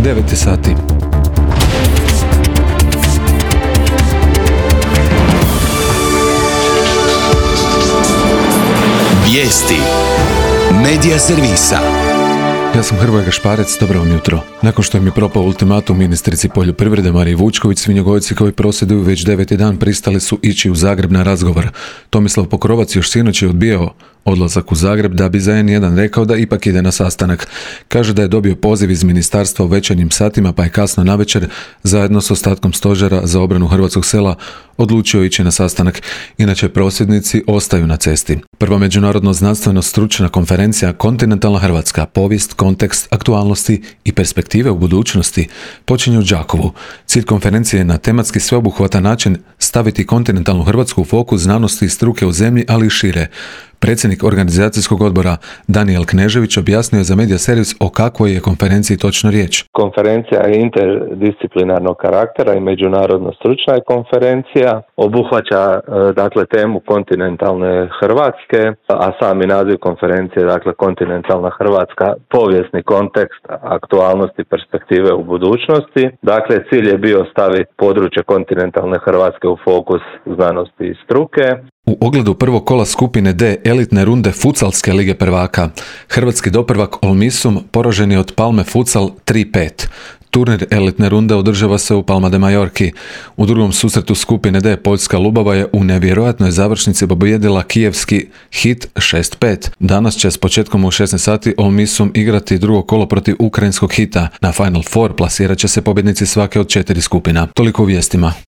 9 sati. Vijesti Medija servisa. Ja sam Hrvoje Gašparec, dobro vam jutro. Nakon što im je propao ultimatum ministrici poljoprivrede Mariji Vučković, svinjogojci koji prosvjeduju već 9. dan pristali su ići u Zagreb na razgovor. Tomislav Pokrovac još sinoć je odbijao odlazak u Zagreb da bi za N1 rekao da ipak ide na sastanak. Kaže da je dobio poziv iz ministarstva u večernjim satima, pa je kasno navečer zajedno s ostatkom stožera za obranu hrvatskog sela odlučio ići na sastanak. Inače, prosvjednici ostaju na cesti. Prva međunarodno znanstveno stručna konferencija Kontinentalna Hrvatska, povijest, kontekst, aktualnosti i perspektive u budućnosti počinje u Đakovu. Cilj konferencije je na tematski sveobuhvatan način staviti kontinentalnu Hrvatsku u fokus znanosti i struke u zemlji, ali i šire. Predsjednik organizacijskog odbora Danijel Knežević objasnio je za Medija servis o kakvoj je konferenciji točno riječ. Konferencija je interdisciplinarnog karaktera i međunarodno stručna je konferencija. Obuhvaća dakle temu kontinentalne Hrvatske, a sami naziv konferencije dakle kontinentalna Hrvatska, povijesni kontekst, aktualnosti, perspektive u budućnosti. Dakle, cilj je bio staviti područje kontinentalne Hrvatske u fokus znanosti i struke. U ogledu prvog kola skupine D elitne runde Futsalske lige prvaka, hrvatski doprvak Olmisum poražen je od Palme Futsal 3-5. Turnir elitne runde održava se u Palma de Majorki. U drugom susretu skupine D Poljska Lubava je u nevjerojatnoj završnici pobijedila kijevski Hit 6-5. Danas će s početkom u 16 sati Olmisum igrati drugo kolo protiv ukrajinskog Hita. Na Final Four plasirat će se pobjednici svake od 4 skupina. Toliko u vijestima.